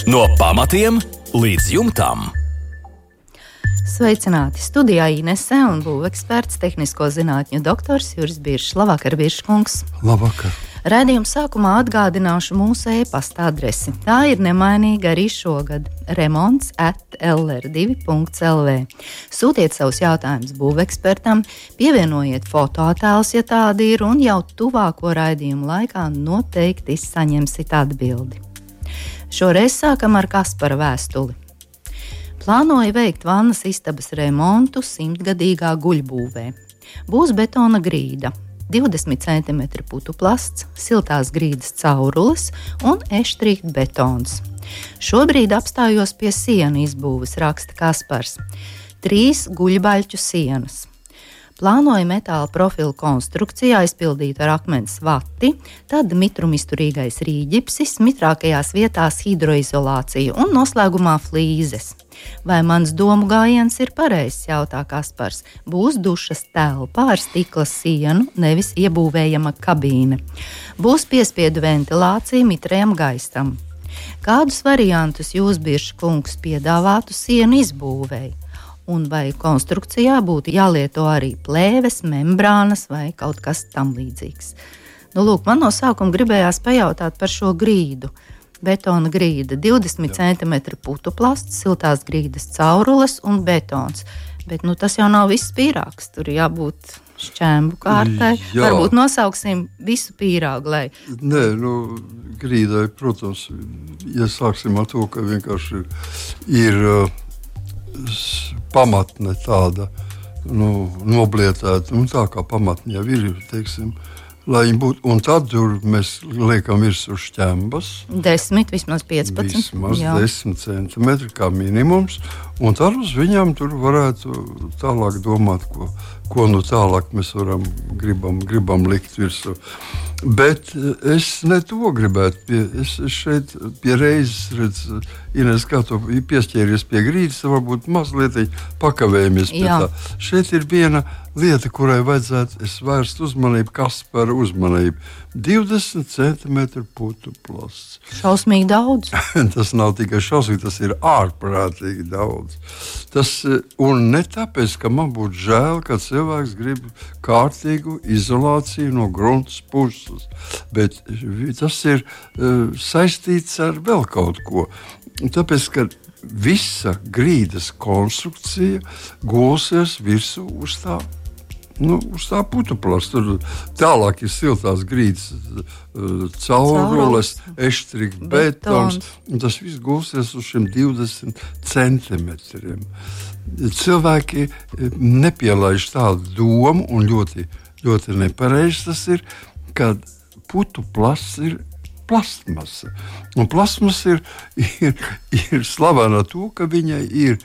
No pamatiem līdz jumtam. Sveicināti! Studijā Inese un būveksperts, tehnisko zinātņu doktors Juris Biršs. Labvakar, Birškungs! Labvakar! Raidījuma sākumā atgādināšu mūsu e-pasta adresi. Tā ir nemainīga arī šogad – remonts@lr2.lv. Sūtiet savus jautājumus būvekspertam, pievienojiet fotoattēlus, ja tādi ir, un jau tuvāko raidījumu laikā noteikti saņemsiet atbildi. Šoreiz sākam ar Kaspara vēstuli. Plānoju veikt vannas istabas remontu 100-gadīgā guļbūvē. Būs betona grīda, 20 cm putu plasts, siltās grīdas caurules un eštrīkt betons. Šobrīd apstājos pie sienu izbūves, raksta Kaspars. 3 guļbaļķu sienas. Plānoju metāla profilu konstrukciju aizpildīt ar akmens vati, tad mitrumizturīgais rīģipsis, mitrākajās vietās hidroizolāciju un noslēgumā flīzes. Vai mans domu gājiens ir pareizs, jautā Kaspars. Būs dušas telpa ar stikla sienu, nevis iebūvējama kabīne. Būs piespiedu ventilācija mitrajam gaisam. Kādus variantus jūs, Birša kungs, piedāvātu sienu izbūvēji? Un vai konstrukcijā būtu jālieto arī plēves, membrānas vai kaut kas tam līdzīgs? Lūk, man no sākuma gribējās pajautāt par šo grīdu. Betona grīda, 20 cm putu plasts, siltās grīdas caurules un betons. Bet tas jau nav viss pīrāgs, tur jābūt šķēmbu kārtai. Jā. Varbūt nosauksim visu pīrāgu, lai... Nē, grīdai, protams, ja sāksim ar to, ka vienkārši ir pamatne tāda, noblietēta, tā kā pamatne jau ir, teiksim, lai viņi būtu, un tad tur mēs liekam virsū šķembas. 10, vismaz 15. Vismaz Jā. 10 centimetri kā minimums, un tad uz viņām tur varētu tālāk domāt, ko tālāk mēs gribam likt virsū. Bet es ne to gribētu. Es šeit pie reizes redzu, Ines, kā tu piesķēries pie grīdas, varbūt mazliet pakavējamies pie tā. Šeit ir viena lieta, kurai vajadzētu vērst uzmanību, Kaspara uzmanību. 20 cm putu plasts. Šausmīgi daudz. Tas nav tikai šausmīgi, tas ir ārprātīgi daudz. Un ne tāpēc, ka man būtu žēl, ka cilvēks grib kārtīgu izolāciju no grunts puses, bet tas ir saistīts ar vēl kaut ko. Tāpēc, ka visa grīdas konstrukcija gulsies virsū uz tā putu plasta. Tur tālāk ir siltās grīdas caurules, eštrīkt betons, un tas viss gulsies uz šiem 20 centimetriem. Cilvēki nepielaiž tādu domu, un ļoti, ļoti nepareizi tas ir, kad putu plasts ir plastmasa. Un plastmasa ir slavena to, ka viņai ir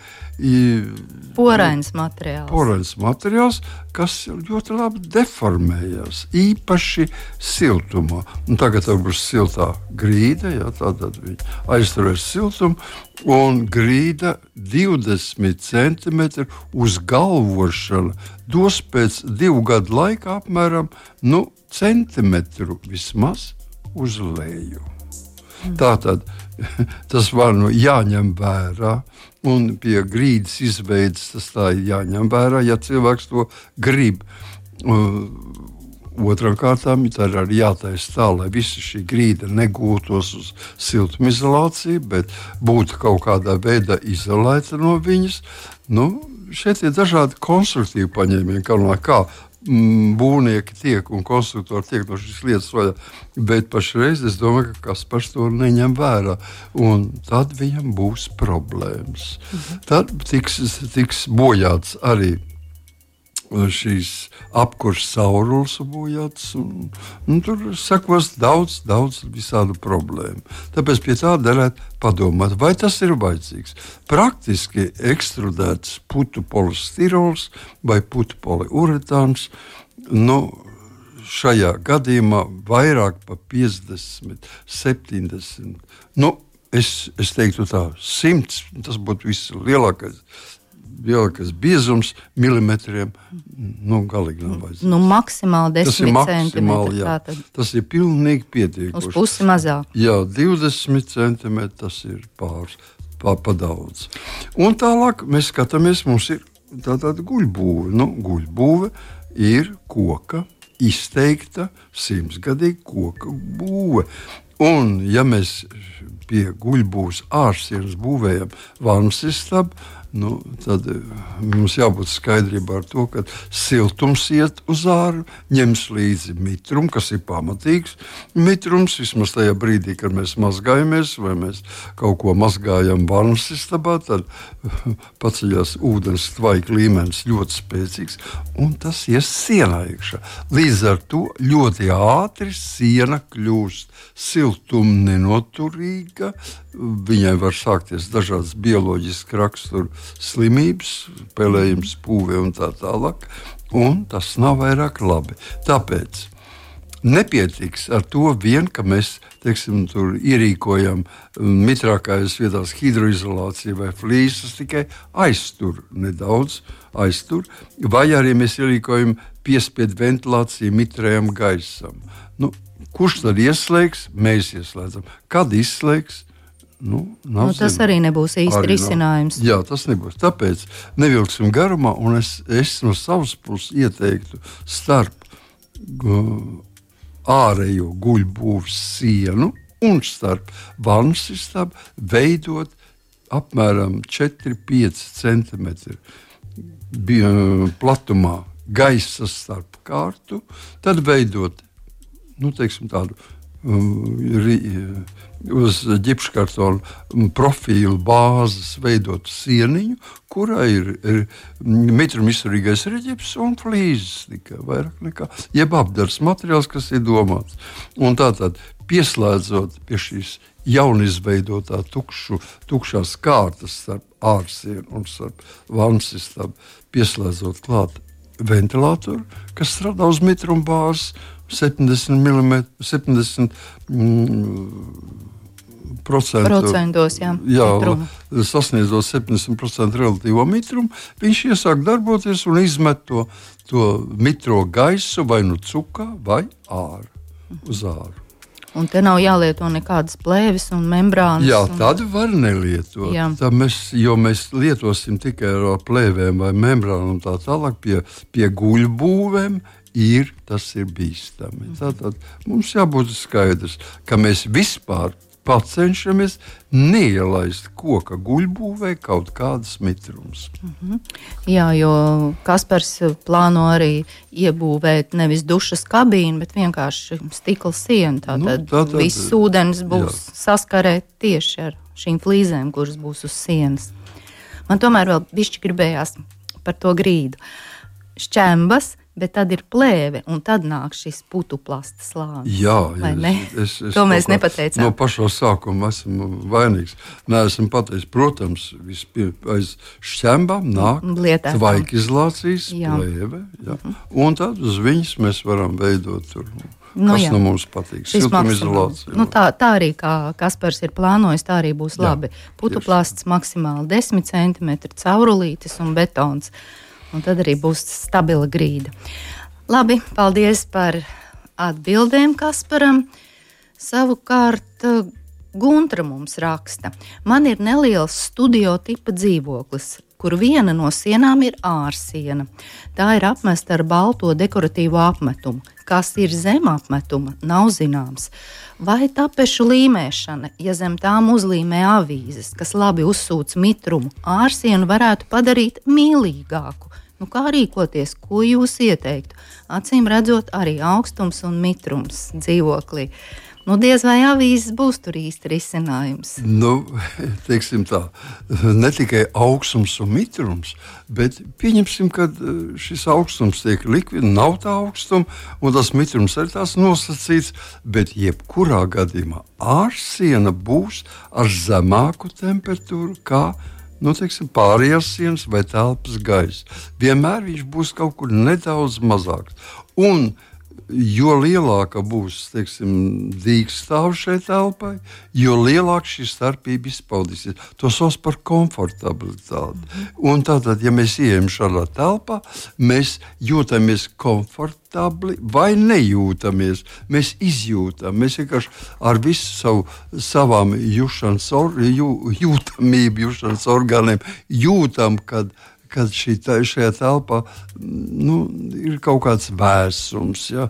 porains materiāls, kas ļoti labi deformējas, īpaši siltumā. Un tagad būs siltā grīda, tātad viņi aizturēs siltumu, un grīda 20 cm uz galvošana dos pēc 2 gadu laika apmēram centimetru vismaz uz leju. Tātad tas var jāņem vērā, un pie grīdas izveides tas tā ir jāņem vērā, ja cilvēks to grib. Otrām kārtām tā ir arī jātaisa tā, lai visa šī grīda negūtos uz siltumizolāciju, bet būtu kaut kādā veidā izolēta no viņas. Šeit ir dažādi konstruktīvi paņēmieni, kā būvnieki tiek un konstruktori tiek no šīs lietas vaļā, bet pašreiz es domāju, ka Kaspars to neņem vērā, un tad viņam būs problēmas. Tad tiks bojāts arī šīs apkurss caurules bojāts, un tur sekos daudz visādu problēmu. Tāpēc pie tā derētu padomāt, vai tas ir vajadzīgs. Praktiski ekstrudēts putu polistirols vai putu poliuretāns, šajā gadījumā vairāk pa 50, 70, es teiktu tā, 100, tas būtu viss lielākais lielākais biezums milimetriem, galīgi nav vajadzīgs. Maksimāli 10 centimetri. Tas ir pilnīgi pietiekoši. Uz pusi mazāk. Jā, 20 centimetri tas ir pa daudz. Un tālāk mēs skatāmies, mums ir tāda guļbūve. Guļbūve ir koka, izteikta 100-gadīga koka būve. Un, ja mēs pie guļbūves ārsienas būvējam vansistabu, tad mums jābūt skaidrībā ar to, ka siltums iet uz āru, ņems līdzi mitrumu, kas ir pamatīgs mitrums, vismaz tajā brīdī, kad mēs mazgājamies vai mēs kaut ko mazgājam vanasistabā, tad paceļās ūdens tvaika līmenis ļoti spēcīgs, un tas ies sienā iekšā. Līdz ar to ļoti ātri siena kļūst siltuma nenoturīga, viņai var sākties dažādas bioloģiskas rakstura slimības, pelējums, pūve un tā tālāk, un tas nav vairāk labi. Tāpēc nepietiks ar to vien, ka mēs, tur ierīkojam mitrākajās vietās hidroizolāciju vai flīsas, tikai nedaudz aiztur, vai arī mēs ierīkojam piespiedu ventilāciju mitrējam gaisam. Kurš tad ieslēgs? Mēs ieslēdzam. Kad izslēgs? Tas arī nebūs īsti risinājums. Jā, tas nebūs. Tāpēc nevilksim garumā, un es no savas puses ieteiktu starp ārējo guļbūves sienu un starp vanasistabu veidot apmēram 4-5 centimetri platumā gaisa starp kārtu, tad veidot tādu uz ģipškartona profilu bāzes veidot sieniņu, kurā ir mitrumizturīgais reģips un flīzes tikai vairāk nekā, jeb apdars materiāls, kas ir domāts. Un tātad pieslēdzot pie šīs jaunizveidotā tukšās kārtas starp ārsienu un starp vanasistabu, pieslēdzot klāt ventilātoru, kas strādā uz mitruma bāzes 70%, sasniedzot 70% relatīvo mitrumu, viņš iesāk darboties un izmet to mitro gaisu vai cukā vai uz āru. Un te nav jālieto nekādas plēves un membrānas. Jā, tad var nelietot. Jo mēs lietosim tikai ar plēvēm vai membrānu un tā tālāk pie guļbūvēm. Tas ir bīstami. Tātad mums jābūt skaidrs, ka mēs vispār cenšamies neielaist koka guļbūvē kaut kādas mitrumus. Jā, jo Kaspars plāno arī iebūvēt nevis dušas kabīnu, bet vienkārši stikla sienu. Tātad viss ūdens būs saskarē tieši ar šīm flīzēm, kuras būs uz sienas. Man tomēr vēl bišķi gribējās par to grīdu. Šķembas, bet tad ir plēve, un tad nāk šis putuplasta slānis. Jā, to mēs nepateicām. No pašā sākuma esmu vainīgs. Neesmu pateicis, protams, aiz šķembām nāk tvaikizolācijas plēve, un tad uz viņas mēs varam veidot tur. Kas no mums patīk? Siltumizolācija. Tā arī, kā Kaspars ir plānojis, tā arī būs labi. Putuplasts maksimāli 10 centimetri, caurulītis un betons. Un tad arī būs stabila grīda. Labi, paldies par atbildēm Kasparam. Savukārt Guntra mums raksta. Man ir neliels studio tipa dzīvoklis, kur viena no sienām ir ārsiena. Tā ir apmesta ar balto dekoratīvo apmetumu. Kas ir zem apmetuma, nav zināms. Vai tapešu līmēšana, ja zem tām uzlīmē avīzes, kas labi uzsūc mitrumu, ārsienu varētu padarīt mīlīgāku? Kā rīkoties, ko jūs ieteiktu? Acīm redzot, arī augstums un mitrums dzīvoklī. Diez vai avīzes būs tur īsti risinājums? Teiksim tā, ne tikai augstums un mitrums, bet pieņemsim, ka šis augstums tiek likvidēts, nav tā augstuma, un tas mitrums arī tās nosacīts, bet jebkurā gadījumā ārsiena būs ar zemāku temperatūru kā pārējās sienas vai telpas gaisa. Vienmēr viņš būs kaut kur nedaudz mazāks. Un jo lielāka būs, teiksim, dīkstāve šai telpai, jo lielāk šī starpība izpaudīsies. To sauc par komfortabilitāti. Un tātad, ja mēs ieejam šādā telpā, mēs jūtamies komfortabli vai nejūtamies. Mēs izjūtam, mēs vienkārši ar visu savām jūtamību, jūšanas orgāniem jūtam, kad šajā telpā ir kaut kāds vēsums, ja,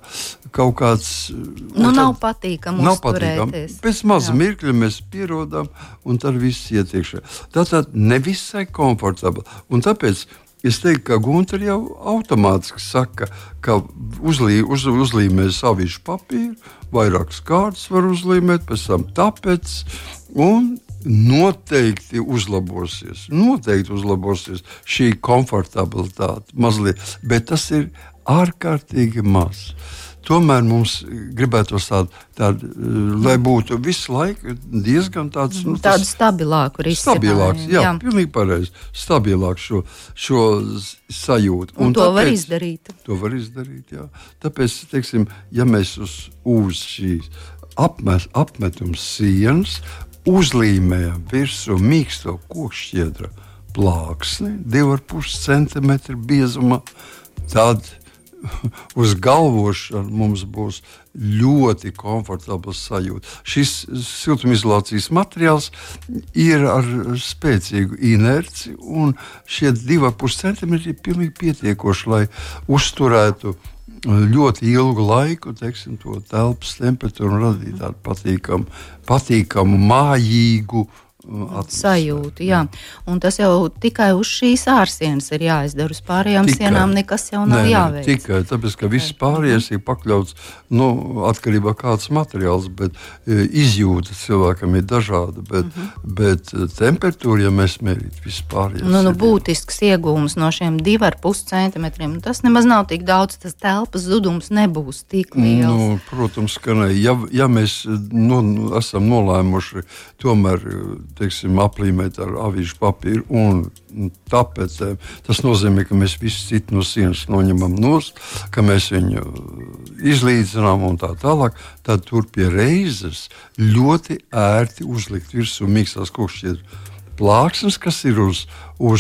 kaut kāds... nav patīkami uzturēties. Pēc maza mirkļa mēs pierodam, un tad viss iet iekšā. Tātad nevisai komfortabli. Un tāpēc es teiktu, ka Gunter jau automātiski saka, ka uzlīmēs avīžu papīru, vairākas kārtas var uzlīmēt, pēc tam tapets, un noteikti uzlabosies šī komfortabilitāte mazliet, bet tas ir ārkārtīgi maz. Tomēr mums gribētos tādu, lai būtu visu laiku diezgan tāds... Tādu stabilāku risinājumu. Stabilāks, jā, pilnīgi pareizi. Stabilāku šo sajūtu. Un to var izdarīt. To var izdarīt, jā. Tāpēc, teiksim, ja mēs uz šīs apmetums sienas uzlīmējam virsū mīksto kokšķiedra plāksni 2,5 cm biezumā, tad uz galvošanu mums būs ļoti komfortabls sajūta. Šis siltumizolācijas materiāls ir ar spēcīgu inerci, un šie 2,5 cm ir pilnīgi pietiekoši, lai uzturētu ļoti ilgu laiku, teiksim, to telpas temperatūru un radīt tādu patīkamu, mājīgu sajūtu, jā. Un tas jau tikai uz šīs ārsienas ir jāizdara. Uz pārējām sienām nekas jau nav jāveic. Tikai tāpēc, ka viss pārējais ir pakļauts, atkarībā kāds materiāls, bet izjūta cilvēkam ir dažāda, bet temperatūra, ja mēs mērīt, viss pārējais. Būtisks iegūms no šiem 2,5 centimetriem, tas nemaz nav tik daudz, tas telpas zudums nebūs tik liels. Protams, ka ne. Ja mēs esam nolēmuši tomēr, teiksim, aplīmēt ar avīžu papīru un tapetēm. Tas nozīmē, ka mēs visu citu no sienas noņemam nost, ka mēs viņu izlīdzinām un tā tālāk. Tad tur pie reizes ļoti ērti uzlikt virsū mīkstās kokšķiedra plāksnes, kas ir uz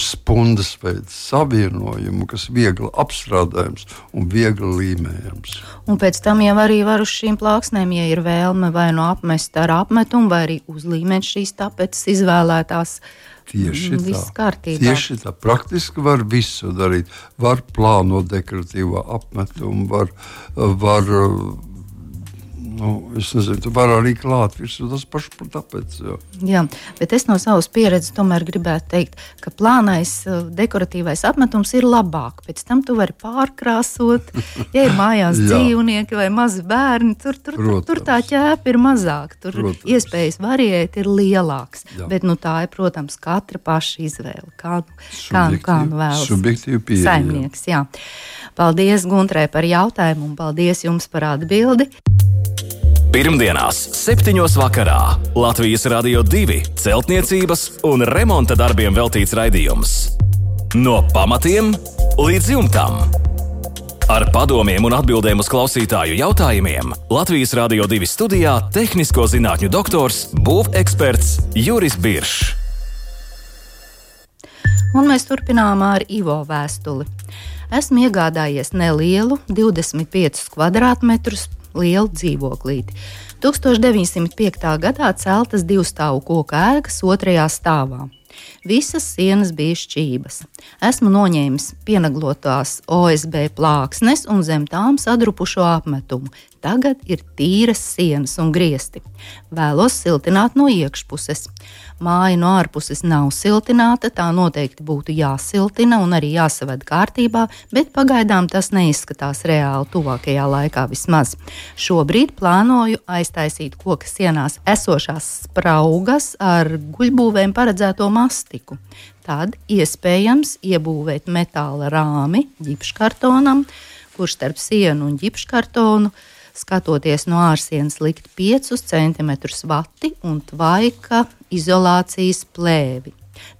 spundas veida savienojumu, kas viegli apstrādājams un viegli līmējams. Un pēc tam jau arī var uz šīm plāksnēm, ja ir vēlme vai apmest ar apmetumu, vai arī uzlīmēt šīs tapetes izvēlētās. Tieši tā. Praktiski var visu darīt. Var plānot dekoratīvā apmetumu, var es nezinu, tu vari arī klāt virsū, tas paši par tāpēc. Jā, bet es no savas pieredzes tomēr gribētu teikt, ka plānais dekoratīvais apmetums ir labāk. Pēc tam tu vari pārkrāsot, ja ir mājās dzīvnieki vai mazi bērni, tur tā ķēpa ir mazāk, tur iespējas variēt ir lielāks. Jā. Bet tā ir, protams, katra paša izvēle, kā vēlas saimnieks. Jā. Paldies Guntrai par jautājumu un paldies jums par atbildi. Pirmdienās, 7. vakarā Latvijas Radio 2 celtniecības un remonta darbiem veltīts raidījums. No pamatiem līdz jumtam. Ar padomiem un atbildēm uz klausītāju jautājumiem Latvijas Radio 2 studijā tehnisko zinātņu doktors, būveksperts Juris Biršs. Un mēs turpinām ar Ivo vēstuli. Esmu iegādājies nelielu 25 kvadrātmetrus lielu dzīvoklīti. 1905. gadā celtas 2-stāvu koka ēkas 2. stāvā. Visas sienas bija šķības. Esmu noņēmis pienaglotās OSB plāksnes un zem tām sadrupušo apmetumu. Tagad ir tīras sienas un griesti. Vēlos siltināt no iekšpuses. Māja no ārpuses nav siltināta, tā noteikti būtu jāsiltina un arī jāsaved kārtībā, bet pagaidām tas neizskatās reāli tuvākajā laikā vismaz. Šobrīd plānoju aiztaisīt koka sienās esošās spraugas ar guļbūvēm paredzēto mastiku. Tad iespējams iebūvēt metāla rāmi ģipškartonam, kurš starp sienu un ģipškartonu skatoties no ārsienas likt 5 cm vati un tvaika izolācijas plēvi.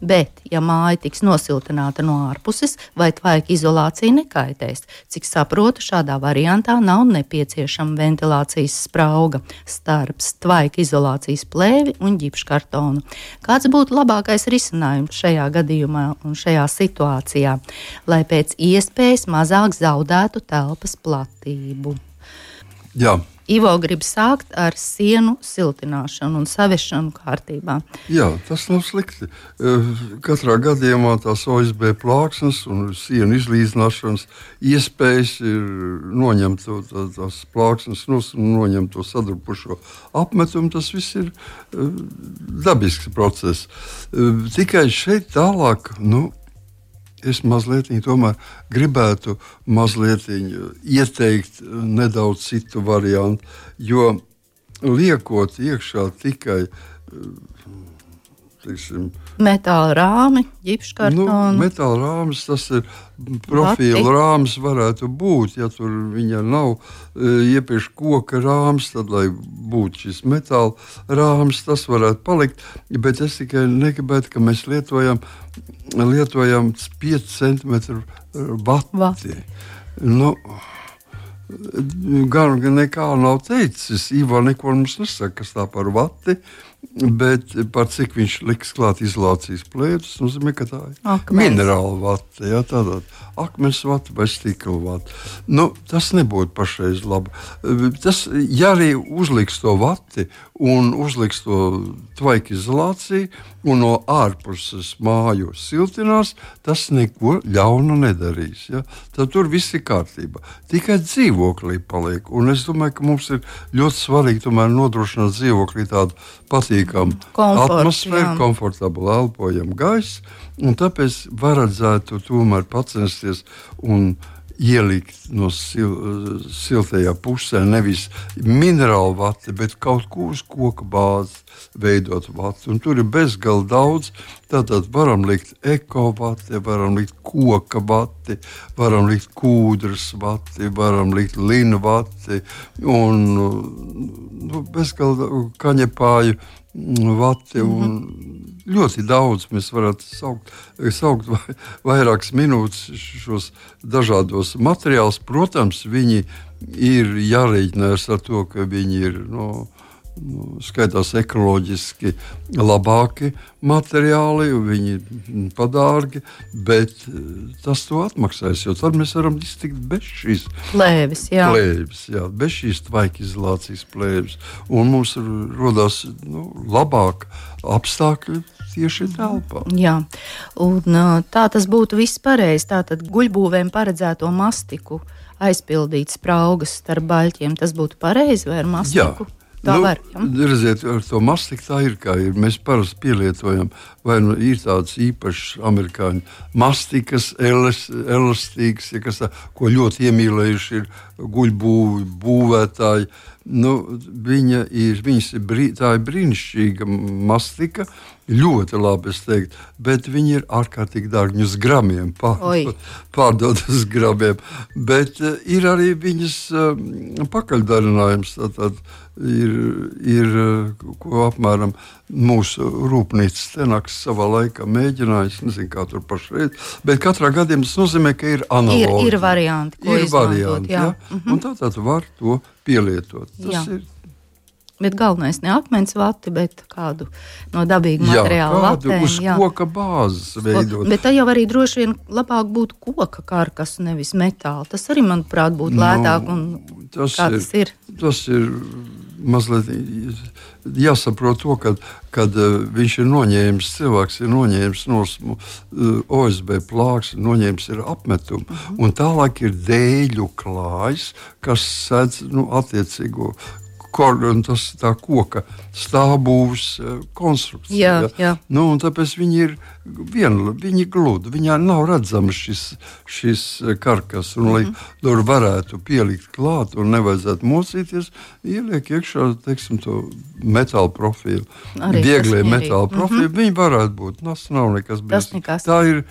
Bet, ja māja tiks nosiltināta no ārpuses, vai tvaika izolācija nekaitēs, cik saprotu, šādā variantā nav nepieciešama ventilācijas sprauga starp tvaika izolācijas plēvi un ģipškartonu. Kāds būtu labākais risinājums šajā gadījumā un šajā situācijā, lai pēc iespējas mazāk zaudētu telpas platību? Jā. Ivo grib sākt ar sienu siltināšanu un saviešanu kārtībā. Jā, tas nav slikti. Katrā gadījumā tās OSB plāksnes un sienu izlīdzināšanas iespējas ir noņemt tās plāksnes un noņemt to sadrupušo apmetumu. Tas viss ir dabisks process. Tikai šeit tālāk, es mazliet tomēr gribētu ieteikt nedaudz citu variantu, jo liekot iekšā tikai metāla rāmi, ģipškartonu. Metāla rāmis, tas ir profila rāmis varētu būt, ja tur viņa nav iepriekš koka rāmis, tad, lai būtu šis metāla rāmis, tas varētu palikt, bet es tikai negribētu, ka mēs lietojam 5 cm vati. Gan nekā nav teicis, Ivo neko mums nesaka, kas tā par vati, bet par cik viņš liks klāt izolācijas plētus, nozīmē, ka tā ir minerāla vata, tādā akmens vata vai stikla vata. Tas nebūtu pašreiz labi. Ja arī uzliks to vati un uzliks to tvaika izolāciju un no ārpuses māju siltinās, tas neko ļaunu nedarīs. Ja? Tad tur viss ir kārtībā. Tikai dzīvoklī paliek. Un es domāju, ka mums ir ļoti svarīgi tomēr nodrošināt dzīvoklī tādu patīkamu atmosfēru, komfortablu elpojamu gaisu. Un tāpēc vajadzētu tomēr pacensties un ielikt no siltajā pusē nevis minerālu vati, bet kaut ko uz koka bāzes veidot vati. Un tur ir bezgalīgi daudz. Tātad varam likt ekovati, varam likt koka vati, varam likt kūdras vati, varam likt linu vati un bezgalīgi kaņepāju vati un ļoti daudz. Mēs varētu saukt vairākas minūtes šos dažādos materiālus. Protams, viņi ir jārēķinās ar to, ka viņi ir skaitās ekoloģiski labāki materiāli, viņi ir padārgi, bet tas to atmaksājas, jo tad mēs varam iztikt bez šīs plēvis, bez šīs tvaika izolācijas plēvis. Un mums rodās labāk apstākļi tieši telpā. Jā, un tā tas būtu viss pareizi. Tātad guļbūvēm paredzēto mastiku aizpildīt spraugas starp baļķiem, tas būtu pareizi vai ar mastiku? Jā. Redziet, ar to mastiku tā ir, kā ir. Mēs parasti pielietojam, vai ir tādas īpašas amerikāņu mastikas, elastīgas, ko ļoti iemīlējuši ir guļbūvi būvētāji. Tā ir brīnišķīga mastika, ļoti labi, es teiktu, bet viņi ir ārkārtīgi dārgi, viņus gramiem pārdod uz gramiem, bet ir arī viņas pakaļdarinājums, tātad ir ko apmēram mūsu rūpnīcas tenaks savā laikā mēģinājis, nezinu, kā tur pašreiz, bet katrā gadījumā tas nozīmē, ka ir analogi. Ir varianti, ko izmantot, jā. Un tātad var to pielietot. Tas ir. Bet galvenais ne akmens vati, bet kādu no dabīgu materiālu vatēm. Uz koka bāzes veidot. Bet tā jau arī droši vien labāk būtu koka karkas, nevis metāla. Tas arī, manuprāt, būtu lētāk un tas ir. Tas ir mazliet jāsaprot to, kad viņš ir noņēmis, cilvēks ir noņēmis no OSB plāks, noņēmis ir apmetumu, un tālāk ir dēļu klājs, kas sēdz attiecīgo tas tā koka stāvbūves konstrukcija. Jā. Un tāpēc viņi ir gludi, viņā nav redzams šis karkas, un lai tur varētu pielikt klāt un nevajadzētu mocīties, ieliek iekšā, teiksim, to metāla profilu. Vieglie metāla profilu, viņi varētu būt. Tas nav nekas brīnišķīgs. Tā ir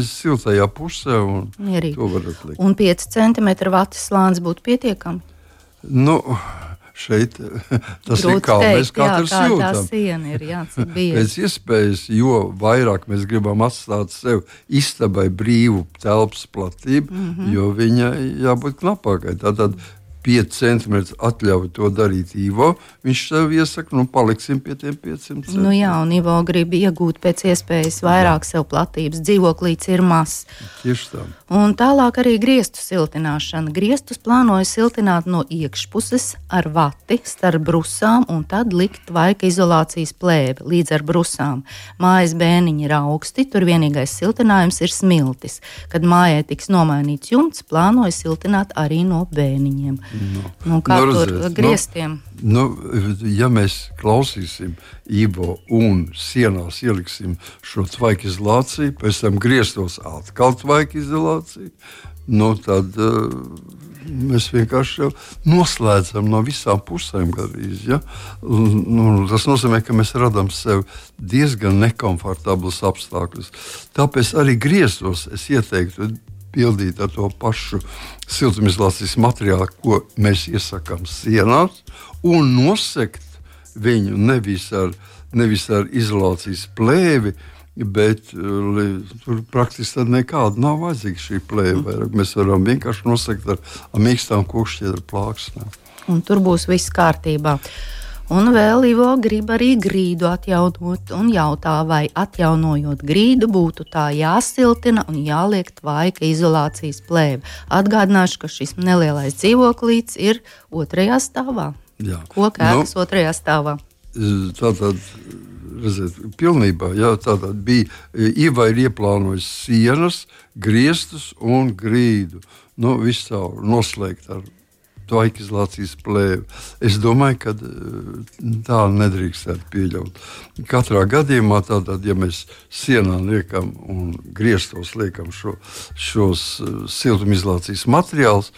siltajā pusē, un to var atlikt. Un 5 cm vatas slānis būtu pietiekami? šeit tas ir kā teikt, mēs katrs jūtam. Tā siena ir, cik biezi. Pēc iespējas, jo vairāk mēs gribam atstāt sev istabai brīvu telpas platību, jo viņai jābūt knapākai. Tātad 5 centimetri atļauj to darīt Ivo. Viņš sev iesaka, paliksim pie tiem 5 centimetriem. Jā, un Ivo grib iegūt pēc iespējas vairāk sev platības. Dzīvoklīts ir mazs. Tieši tā. Un tālāk arī griestu siltināšana. Griestus plānoja siltināt no iekšpuses ar vati starp brusām un tad likt tvaika izolācijas plēvi līdz ar brusām. Mājas bēniņi ir augsti, tur vienīgais siltinājums ir smiltis. Kad mājai tiks nomainīts jumts, plānoja siltināt arī no bēniņiem. Kā tur griestiem? Ja mēs klausīsim Ivo un sienās ieliksim šo tvaika izolāciju, pēc tam griestos atkal tvaika izolāciju, tad mēs vienkārši noslēdzam no visām pusēm gandrīz. Ja? Tas nozīmē, ka mēs radām sev diezgan nekomfortablus apstākļus. Tāpēc arī griestos es ieteiktu pildīt ar to pašu siltumizolācijas materiālu, ko mēs iesakām sienās, un nosegt viņu nevis ar izolācijas plēvi, bet tur praktiski nekāda nav vajadzīga šī plēve. Mēs varam vienkārši nosegt ar mīkstām kokšķiedra plāksnēm. Un tur būs viss kārtībā. Un vēl Ivo grib arī grīdu atjaunot un jautā, vai atjaunojot grīdu būtu tā jāsiltina un jāliek tvaika izolācijas plēve. Atgādināšu, ka šis nelielais dzīvoklīts ir 2. stāvā. Jā. Koka ēkas 2. stāvā. Tātad, redziet, pilnībā, tātad bija, Iva ir ieplānojis sienas, griestus un grīdu. Viss caur noslēgt ar tvaika izolācijas plēvi. Es domāju, ka tā nedrīkstētu pieļaut. Katrā gadījumā, tātad, ja mēs sienā liekam un griestos liekam šos siltumizolācijas materiālus,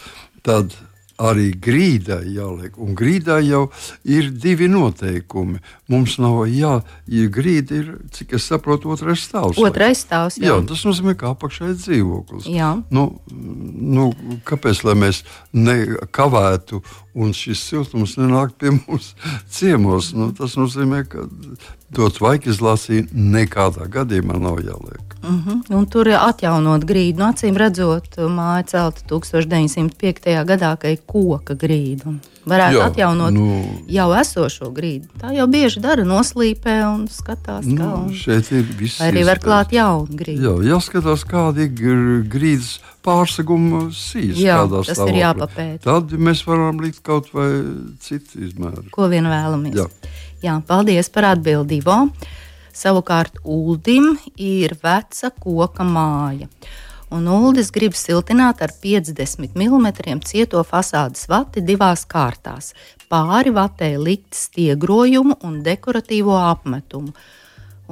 tad arī grīdai jāliek. Un grīdai jau ir 2 noteikumi. Mums nav grīda ir, cik es saprotu, 2. stāvs. 2. stāvs, jā. Tas nozīmē, ka apakšā ir dzīvoklis. Jā. Kāpēc, lai mēs nekavētu un šis siltums nenāk pie mums ciemos? Tas nozīmē, ka to tvaika izolāciju nekādā gadījumā nav jāliek. Un tur atjaunot grīdu. Acīm redzot, māja celta 1905. gadā, ka ir koka grīda. Varētu atjaunot jau esošo grīdu. Tā jau bieži dara, noslīpē un skatās, kā. Šeit ir viss. Arī var klāt jaunu grīdu. Jāskatās, kādi ir grīdas pārseguma sīs. Tas ir jāpapēta. Tad mēs varam likt kaut vai citu izmēru. Ko vien vēlamies. Jā, paldies par atbildi, Ivo. Savukārt Uldim ir veca koka māja. Un Uldis grib siltināt ar 50 mm cieto fasādes vati 2 kārtās. Pāri vatē likt stiegrojumu un dekoratīvo apmetumu.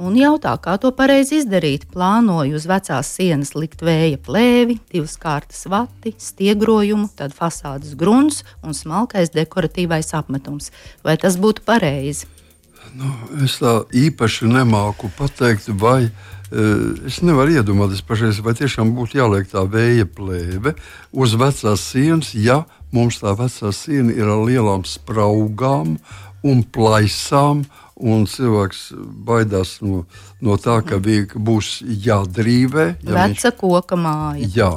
Un jautā, kā to pareizi izdarīt. Plānoju uz vecās sienas likt vēja plēvi, 2 kārtas vati, stiegrojumu, tad fasādes grunts un smalkais dekoratīvais apmetums. Vai tas būtu pareizi? Es tā īpaši nemāku pateikt, vai es nevaru iedomāties pašreiz, vai tiešām būtu jāliek tā vēja plēve uz vecās sienas, ja mums tā vecā siena ir ar lielām spraugām un plaisām, un cilvēks baidās no tā, ka būs jādrīvē. Veca koka māja. Jā.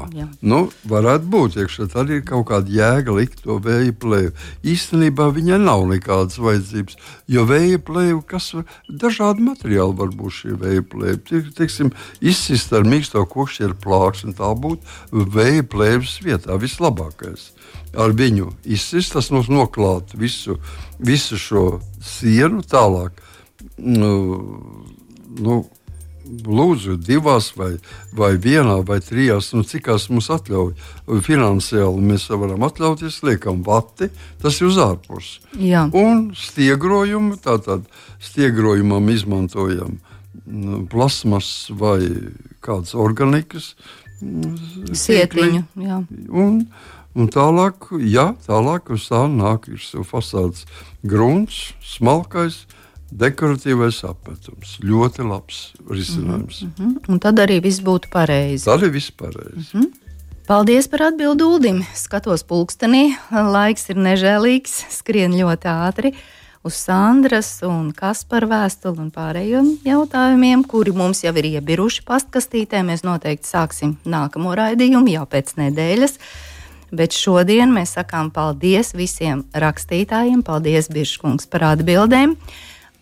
Varētu būt, iekšā tad ir kaut kāda jēga likt to vēja plēvi. Īstenībā viņai nav nekādas vajadzības, jo vēja plēvi, dažādi materiāli var būt šie vēja plēvi. Teiksim, izsist ar mīksto kokšķieru plāksni, tā būtu vēja plēves vietā vislabākais. Ar viņu izsist, tas noklāt visu šo sienu tālāk. Lūdzu, 2 vai 1 vai 3, cikās mums atļauj. Finansiāli mēs varam atļauties, liekam vati, tas ir uz ārpusi. Jā. Un stiegrojumu, tātad stiegrojumam izmantojam plasmas vai kādas organikas. Sietiņu, jā. Un tālāk uz tā nāk ir fasādes grunts, smalkais, dekoratīvais apmetums. Ļoti labs risinājums. Un tad arī viss būtu pareizi. Tad arī viss pareizi. Paldies par atbildi Uldim. Skatos pulkstenī, laiks ir nežēlīgs, skrien ļoti ātri. Uz Sandras un Kaspara vēstuli un pārējiem jautājumiem, kuri mums jau ir iebiruši pastkastītē. Mēs noteikti sāksim nākamo raidījumu jau pēc nedēļas. Bet šodien mēs sakām paldies visiem rakstītājiem. Paldies, Birškungs, par atbildēm.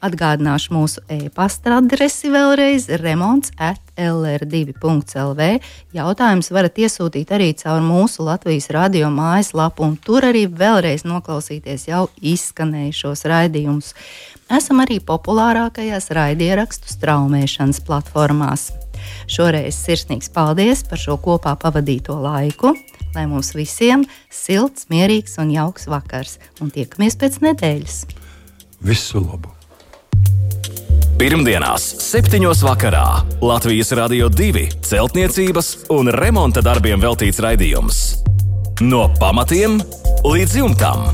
Atgādināšu mūsu e-pasta adresi vēlreiz - remonts@lr2.lv. Jautājumus varat iesūtīt arī caur mūsu Latvijas radio mājaslapu, un tur arī vēlreiz noklausīties jau izskanējušos raidījumus. Esam arī populārākajās raidierakstu straumēšanas platformās. Šoreiz sirsnīgs paldies par šo kopā pavadīto laiku. Lai mums visiem silts, mierīgs un jauks vakars, un tiekamies pēc nedēļas. Visu labu! Pirmdienās, 7. vakarā Latvijas Radio 2 celtniecības un remonta darbiem veltīts raidījums. No pamatiem līdz jumtam.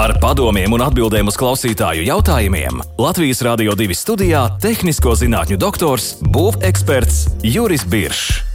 Ar padomiem un atbildēm uz klausītāju jautājumiem Latvijas Radio 2 studijā tehnisko zinātņu doktors, būveksperts Juris Biršs.